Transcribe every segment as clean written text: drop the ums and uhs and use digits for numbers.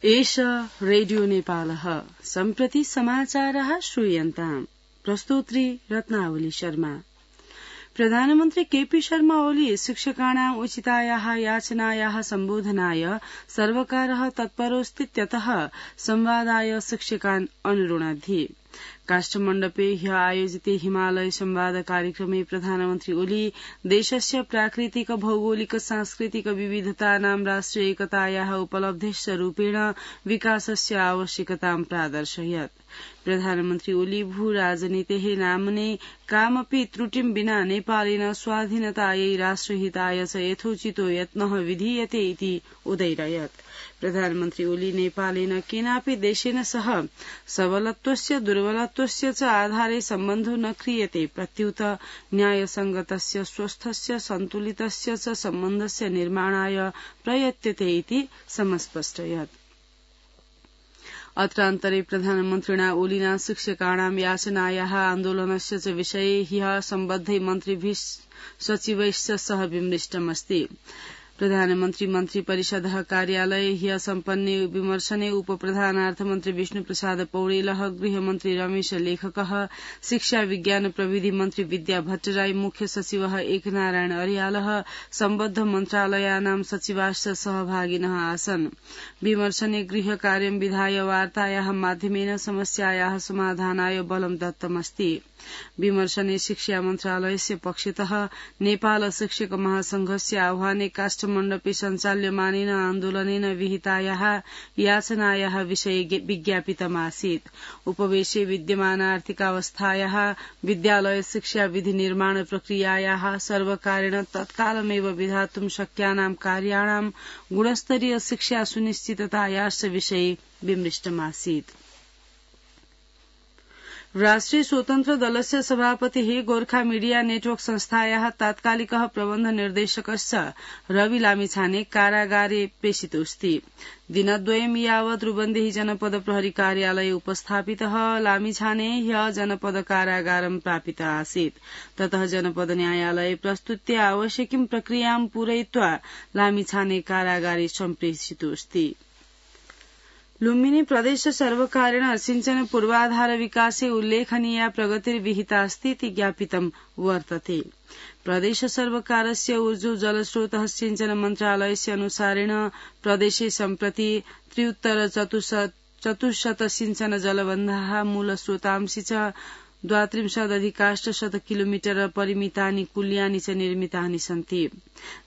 एष रेडियो नेपालः सम्प्रति समाचारः श्रूयन्ताम्। प्रस्तोत्री रत्नावली शर्मा। प्रधानमन्त्री केपी शर्मा ओली शिक्षकाणाम् उचितायाः याचनायाः सम्बोधनाय सर्वकारः तत्परोऽस्तीत्यतः संवादाय शिक्षकान् अनुरुणद्धि। काष्ठमण्डपे ह्य आयोजिते हिमालय संवाद कार्यक्रमे प्रधानमन्त्री ओली देशस्य प्राकृतिक भौगोलिक सांस्कृतिक विविधतानां राष्ट्रिय एकतायाः उपलब्धेश्च रूपेण विकासस्य आवश्यकतां प्रादर्शयत्। प्रधानमन्त्री ओली भू राजनीतेः नाम्ने कामपि त्रुटिं विना नेपालेन स्वाधीनतायै राष्ट्रहिताय च यथोचितो यत्नः विधीयते इति उदैरयत्। प्रधानमन्त्री ओली नेपालेन केनापि देशेन सह सबलत्वस्य दुर्बलत्वस्य च आधारे सम्बन्धो न क्रियते, प्रत्युत न्यायसंगतस्य स्वस्थस्य सन्तुलितस्य च सम्बन्धस्य निर्माणाय प्रयत्यते इति समस्पष्टयत्। अत्रान्तरे प्रधानमन्त्रिणा ओलिना शिक्षकाणां याचनायाः आन्दोलनस्य च विषये ह्यः सम्बद्धै मन्त्रिभिः सचिवैश्च सह विमृष्टमस्ति। प्रधानमन्त्री मन्त्री परिषदः कार्यालये ह्यः सम्पन्ने विमर्शने उपप्रधानार्थमन्त्री विष्णुप्रसाद पौडेलः, गृहमन्त्री रमेश लेखकः, शिक्षा विज्ञान प्रविधि मन्त्री विद्या भट्टराई, मुख्य सचिवः एकनारायण अर्यालः, सम्बद्ध मन्त्रालयानां सचिवाश्च सहभागिनः आसन्। विमर्शने गृह कार्यं विधाय वार्तायाः माध्यमेन समस्यायाः समाधानाय बलं दत्तमस्ति। विमर्शने शिक्षा मन्त्रालयस्य पक्षतः नेपाल शिक्षक महासंघस्य आह्वाने काष्ठमण्डपे सञ्चाल्यमानेन आन्दोलनेन विहितायाः याचनायाः विषये विज्ञापितमासीत्। उपवेशे विद्यमान आर्थिकावस्थायाः, विद्यालय शिक्षा विधि निर्माण प्रक्रियायाः, सर्वकारेण तत्कालमेव विधातुं शक्यानां कार्याणां गुणस्तरीय शिक्षा सुनिश्चिततायाश्च विषये विमृष्टमासीत्। राष्ट्रिय स्वतन्त्र दलस्य सभापतिः गोर्खा मीडिया नेटवर्क संस्थायाः तात्कालिकः प्रबन्ध निर्देशकश्च रवि लामिछाने कारागारे प्रेषितोऽस्ति। दिनद्वयं यावत् रूबन्देही जनपद प्रहरी कार्यालये उपस्थापितः लामिछाने ह्यः जनपद कारागारं प्रापितः आसीत्। ततः जनपद न्यायालये प्रस्तुत्य आवश्यकीं प्रक्रियां पूरयित्वा लामिछाने कारागारे सम्प्रेषितोऽस्ति। लुम्बिनी प्रदेश सर्वकारेण सिंचन पूर्वाधार विकासे उल्लेखनीया प्रगतिर्विहितास्ति इति ज्ञापितं वर्तते। प्रदेश सर्वकारस्य ऊर्जो जलस्रोतः सिंचन मन्त्रालयस्य अनुसारेण प्रदेशे सम्प्रति 73 सिंचन जलबन्धाः मूलस्रोतांसि च 32,800 किलोमीटर परिमितानि कुल्यानि च निर्मितानि सन्ति।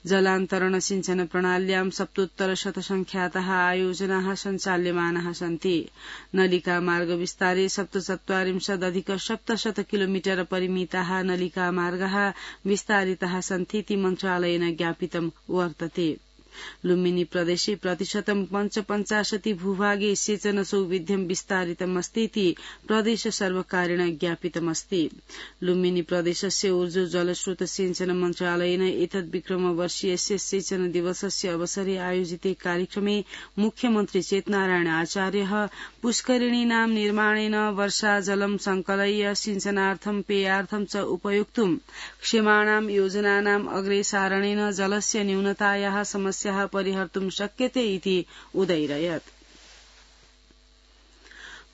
जलान्तरण सिंचन प्रणाल्यां 77 संख्याताः आयोजनाः सञ्चाल्यमानाः सन्ति। नलिका मार्ग विस्तारे 47,700 किलोमीटर परिमिताः नलिका मार्गाः विस्तारिताः सन्ति इति मन्त्रालयेन ज्ञापितं वर्तते। लुम्बिनी प्रदेशे प्रतिशतं 55 भूभागे सेचन सौविध्यं विस्तारितमस्ति इति प्रदेश सर्वकारेण ज्ञापितमस्ति। लुम्बिनी प्रदेशस्य ऊर्जो जलस्रोत सिंचन मन्त्रालयेन एतद् विक्रमवर्षीयस्य सेचन दिवसस्य अवसरे आयोजिते कार्यक्रमे मुख्यमन्त्री चेतनारायण आचार्यः पुष्करिणीनां निर्माणेन वर्षाजलं संकलय्य सिंचनार्थं पेयार्थं च उपयोक्तुं क्ष्यमाणां योजनानाम् अग्रेसारणेन जलस्य न्यूनतायाः समस्याः परिहर्तुं शक्यते इति उदैरयत्।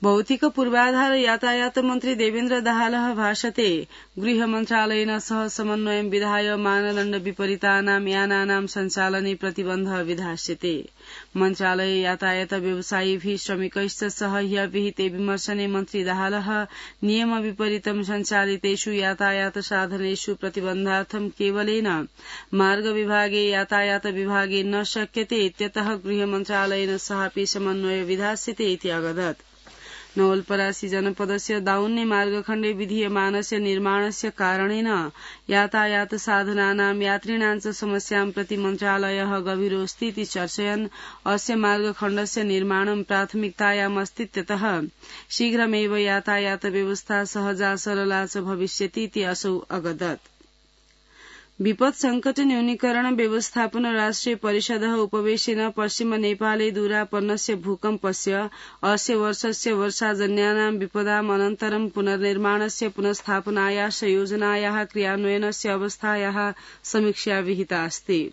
भौतिक पूर्वाधार यातायात मन्त्री देवेन्द्र दाहालः भाषते गृह मन्त्रालयेन सह समन्वयं विधाय मानदण्ड विपरीतानां यानानां सञ्चालने प्रतिबन्धः विधास्यते। मन्त्रालये यातायात व्यवसायिभिः श्रमिकैश्च सह ह्यः विहिते विमर्शने मन्त्री दाहालः नियम विपरीतं सञ्चालितेषु यातायात साधनेषु प्रतिबन्धार्थं केवलेन मार्ग विभागे यातायात विभागे न शक्यते इत्यतः गृह मन्त्रालयेन सहापि समन्वय विधास्यते इति अवदत्। नवलपरासी जनपदस्य दाउन्ने मार्गखण्डे विधीयमानस्य निर्माणस्य कारणेन यातायात साधनानां यात्रिणां च समस्यां प्रति मन्त्रालयः गभीरोऽस्ति इति चर्चयन् अस्य मार्गखण्डस्य निर्माणं प्राथमिकतायामस्तीत्यतः शीघ्रमेव यातायात व्यवस्था सहजा सरला च भविष्यति इति असौ अवदत्। विपद संकट न्यूनीकरण व्यवस्थापन राष्ट्रिय परिषदः उपवेशेन पश्चिम नेपाले दूरापन्नस्य भूकम्पस्य अस्य वर्षस्य वर्षाजन्यानां विपदाम् अनन्तरं पुनर्निर्माणस्य पुनस्थापनायाः योजनायाः क्रियान्वयनस्य अवस्थायाः समीक्षा विहिता अस्ति।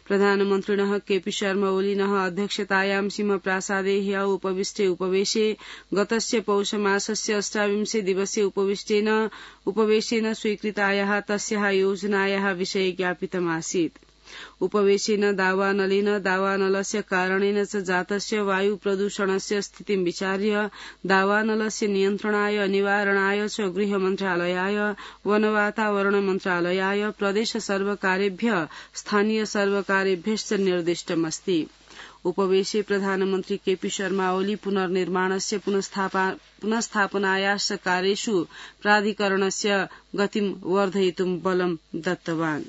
प्रधानमन्त्रिणः केपी शर्मा ओलिनः अध्यक्षतायां सिंहप्रासादे ह्य उपवेशे गतस्य पौषमासस्य 28 दिवसीय उपवेशेन स्वीकृतायाः तस्याः योजनायाः विषये ज्ञापितमासीत्। उपवेशेन दावानलस्य कारणेन च जातस्य वायु प्रदूषणस्य स्थितिं विचार्य दावानलस्य नियन्त्रणाय निवारणाय च गृह मन्त्रालयाय वन वातावरण मन्त्रालयाय प्रदेश सर्वकारेभ्य स्थानीय सर्वकारेभ्यश्च निर्दिष्टमस्ति। उपवेशे प्रधानमन्त्री केपी शर्मा ओली पुनर्निर्माणस्य पुनस्थापनायाश्च कार्येषु प्राधिकरणस्य गतिं वर्धयितुं बलं दत्तवान्।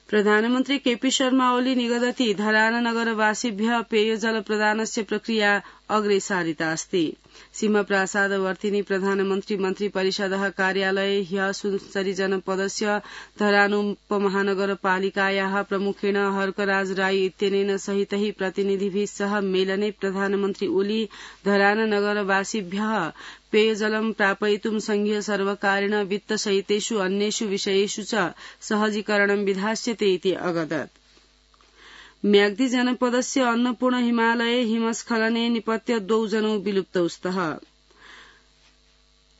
प्रधानमन्त्री केपी शर्मा ओली निगदति धरान नगरवासिभ्यः पेयजल प्रदानस्य प्रक्रिया अग्रेसारिता अस्ति। सिंहप्रासादवर्तिनि प्रधानमन्त्री मन्त्रिपरिषदः कार्यालये ह्यः सुनसरी जनपदस्य धरानोपमहानगरपालिकायाः प्रमुखेण हर्कराज राई इत्यनेन सहितैः प्रतिनिधिभिः सह मेलने प्रधानमन्त्री ओली धरान नगरवासिभ्यः पेयजलं प्रापयितुं संघीय सर्वकारेण वित्तसहितेषु अन्येषु विषयेषु च सहजीकरणं विधास्यते इति अगदत्। म्याग्दी जनपदस्य अन्नपूर्ण हिमालये हिमस्खलने निपत्य 2 जनौ विलुप्तौ स्तः।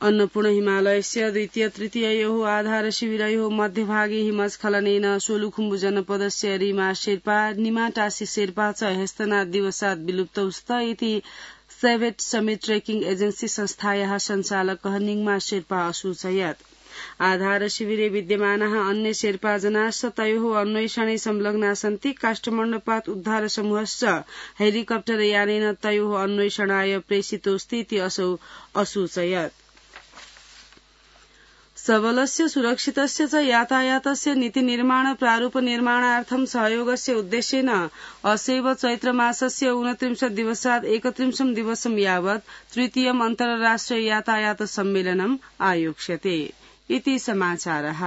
अन्नपूर्ण हिमालयस्य द्वितीय तृतीययोः आधार शिविरयोः मध्यभागे हिमस्खलनेन सोलुखुम्बु जनपदस्य रीमा शेर्पा निमाटासी शेर्पा च ह्यस्तनात् दिवसात् विलुप्तौ स्तः इति सेभेट समिट ट्रेकिंग एजेन्सी संस्थायाः सञ्चालकः निङ्मा शेर्पा असूचयत्। आधार शिविरे विद्यमानाः अन्य शेर्पा जनाश्च तयोः अन्वेषणे संलग्ना सन्ति। काष्ठमण्डपात् उद्धार समूहश्च हेलिकप्टर यानेन तयोः अन्वेषणाय प्रेषितोऽस्ति इति असौ असूचयत्। सबलस्य सुरक्षितस्य च यातायातस्य नीतिनिर्माण प्रारूप निर्माणार्थं सहयोगस्य उद्देश्येन असैव चैत्रमासस्य 29 दिवसात् 31 दिवसं यावत् तृतीयम् अन्तर्राष्ट्रिय यातायात सम्मेलनम् आयोक्ष्यते इति समाचारः।